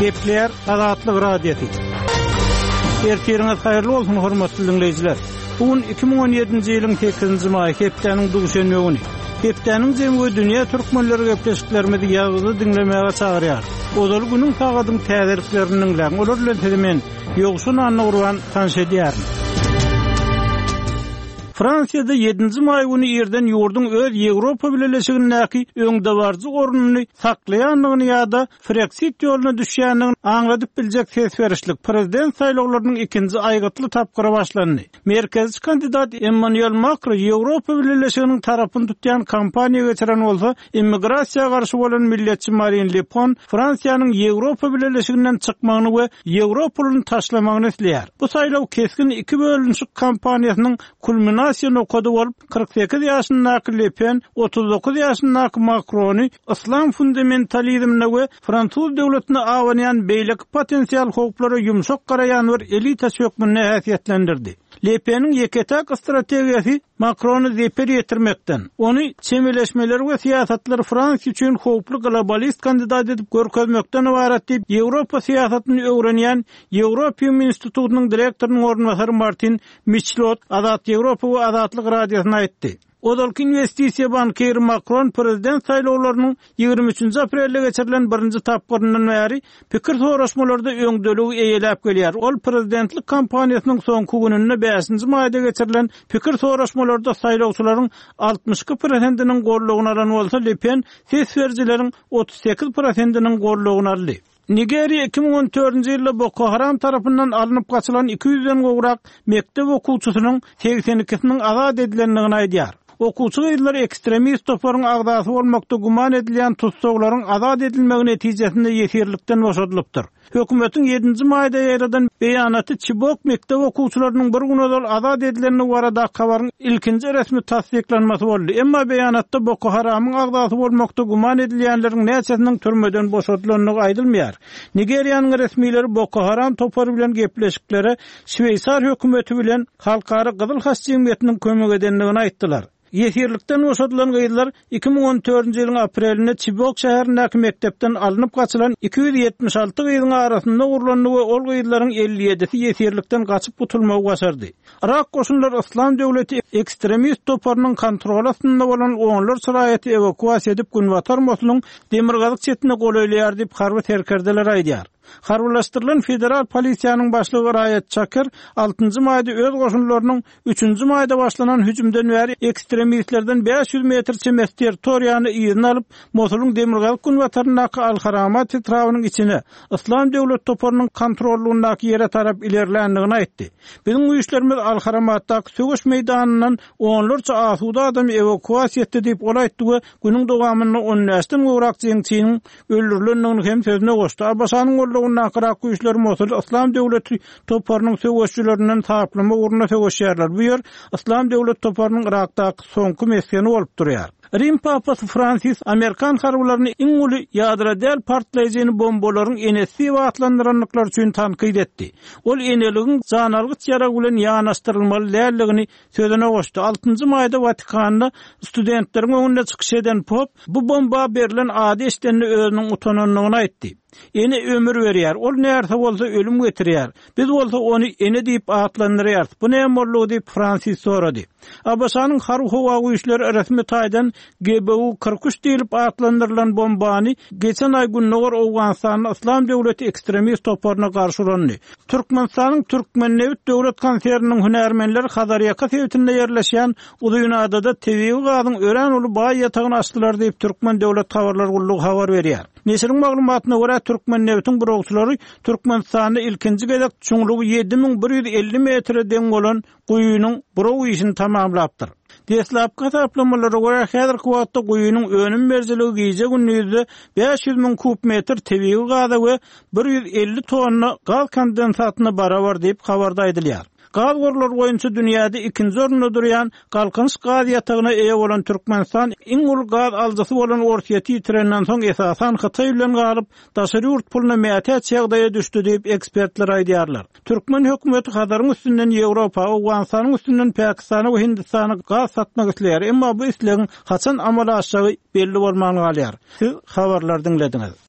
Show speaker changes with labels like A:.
A: Gepleýär Azatlyk Radiosy. Ertiriňiz haýyrly bolsun, hormatly diňleýjiler! Bu gün 2017-nji ýylyň sekizinji maýy, hepdäniň duşenbe güni. Hepdäniň jemi we dünýä türkmenleri gepleşiklerimizi ýazgyda diňlemäge çagyrýar. Ozaly günüň sagadyň täzeliklerini diňläň, olar bilen sizi men, Ýowşan Annagurban, tanyş edýärin. Fransiýada ýedinji maý güni irden ýurduň öz Ýewropa Bileleşigindäki öňdebaryjy ornuny saklaýandygyny ýa-da Freksit ýoluna düşýändigini aňladyp biljek ses berişlik prezident saýlawlarynyň ikinji aýgytly tapgyry başlandy. Merkezçi kandidat Emmanuel Makro Ýewropa Bileleşiginiň tarapyny tutýan kampaniýa geçiren bolsa, immigrasiýa garşy bolan milletçi Marin Le Pen Fransiýanyň Ýewropa Bileleşiginden çykmagyny we ýewro puluny taşlamagyny isleýär. Bu saýlaw kesgin iki bölünişik kampaniýasynyň kulminasiýa nokady bolup, 48 ýaşyndaky Le Pen 39 ýaşyndaky Makrony yslam fundamentalizmine we fransuz döwletine abanýan beýleki potensial howplara ýumşak garaýan bir elitaçy hökmünde häsiýetlendirdi. Le Peniň ýeke-täk strategiýasy Makrona zeper ýetirmekden, ony çemeleşmeleri we syýasatlary Fransiýa üçin howply globalist kandidat edip görkezmekden ybarat diýip, Ýewropa syýasatyny öwrenýän Ýewropium institutynyň direktorynyň orunbasary Martin Miçlot Azat Ýewropa we Azatlyk Radiosyna aýtdy. Ozalky inwestisiýa bankiri Makron prezident saýlawlarynyň 23-nji aprelde geçirilen birinji tapgyryndan bäri pikir soraşmalarda öňdeligi eýeläp gelýär. Ol prezidentlik kampaniýasynyň soňky gününde bäşinji maýda geçirilen pikir soraşmalarda saýlawçylaryň 62 prosentiniň goldawyny alan bolsa, Le Pen ses berijileriň 38 prosentiniň goldawyny aldy. Nigeriýa 2014-nji ýylda Boko Haram tarapyndan alnyp gaçylan 200-den gowrak mekdep okuwçysynyň 82-siniň azat edilendigini aýdýar. Okuwçy gyzlar ekstremist toparyň agzasy bolmakda güman edilýän tussaglaryň azat edilmegi netijesinde ýesirlikden boşadylypdyr. Hökümetiň ýedinji maýda ýaýradan beýanaty Çibok mekdep okuwçylarynyň bir gün ozal azat edilendigi baradaky habaryň ilkinji resmi tassyklanmasy boldy. Emma beýanatda Boko Haramyň agzasy bolmakda güman edilýänleriň näçesiniň türmeden boşadylandygy aýdylmaýar. Nigeriýanyň resmileri Boko Haram topary bilen gepleşiklere şweýsar hökümeti bilen Halkara Gyzyl Haç jemgyýetiniň kömek edendigini aýtdylar. Ýesirlikden boşadylan gyzlar 2014-nji ýylyň aprelinde Çibok şäherindäki mekdepden alnyp gaçylan 276 gyzyň arasynda ogurlandy we ol gyzlaryň 57-si ýesirlikden gaçyp gutulmagy başardy. Yrak goşunlary Yslam döwleti ekstremist toparynyň kontroly astynda bolan onlarça raýaty ewakuasiýa edip, günbatar Mosulyň demirgazyk çetine golaýlaýar diýip, harby serkerdeler aýdýar. Harbylaşdyrylan federal polisiýanyň başlygy Raýat Çakir altynjy maýda öz goşunlarynyň üçünji maýda başlanan hüjümden bäri ekstremistlerden 500 metr çemesi territoriýany yzyna alyp, Mosulyň demirgazyk-günbataryndaky Al-Haramat etrabynyň içine, Yslam döwlet toparynyň kontrollygyndaky ýere tarap ilerländigini aýtdy. Biziň güýçlerimiz Al-Haramatdaky söweş meýdanyndan onlarça asuda adamy ewakuasiýa etdi diýip, ol aýtdy we günüň dowamynda on bäşden gowrak jeňçiniň öldürilendigini hem sözüne goşdy. ABŞ-nyň goldawyndaky Yrak güýçleri Mosuly Yslam döwleti toparynyň söweşijilerinden saplamak ugrunda söweşýärler. Bu ýer Yslam döwlet toparynyň Yrakdaky soňky mesgeni bolup durýar. Rim papasy Fransis amerikan harbylaryny iň uly ýadro däl partlaýjyny bombalaryň enesi diýip atlandyrandyklary üçin tankyt etdi. Ol eneligiň janalgyç ýarag bilen ýanaşdyrylmaly däldigini sözüne goşdy. Altynjy maýda Watikanda studentleriň öňünde çykyş eden pop bu bomba berlen ady eşidende özüniň utanandygyny aýtdy. Ene ömür berýär, ol närse bolsa ölüm getirýär. Biz bolsa ony ene diýip atlandyrýarys. Bu näme boldugy diýip, Fransis sorady. ABŞ-nyň Harby-howa güýçleri resmi taýdan GBU 43 diýlip atlandyrylan bombany geçen aý gündogar Owganystanda Yslam döwleti ekstremist toparyna garşy ulandy. Türkmenistanyň Türkmennebit döwlet konserniniň hünärmenleri Hazarýaka sebitinde ýerleşýän Uzynadada tebigy gazyň örän uly baý ýatagyny açdylar diýip, Türkmen döwlet habarlar gullugy habar berýär. Neşiriň maglumatyna görä, Türkmennebitiň burawçylary Türkmenistanda ilkinji gezek çuňlugy 7150 metre deň bolan guýynyň buraw işini tamamlapdyr. Deslapky hasaplamalara görä, häzirki wagtda guýynyň önüm berijiligi gije-gündizde 500 müň kub metr tebigy gaza we 150 tonna gaz kondensatyna barabar diýip, habarda aýdylýar. Gaz gorlary boýunça dünýäde ikinji orunda durýan Galkynyş gaz ýatagyna eýe bolan Türkmenistan iň uly gaz alyjysy bolan Orsýeti ýitirenden soň esasan Hytaý bilen galyp, daşary ýurt puluna mätäç ýagdaýa düşdi diýip, ekspertler aýdýarlar. Türkmen hökümeti Hazaryň üstünden Ýewropa, Owganystanyň üstünden Pakistana we Hindistana gaz satmak isleýär, emma bu islegiň haçan amala aşjagy belli bolman galýar. Siz habarlary diňlediňiz.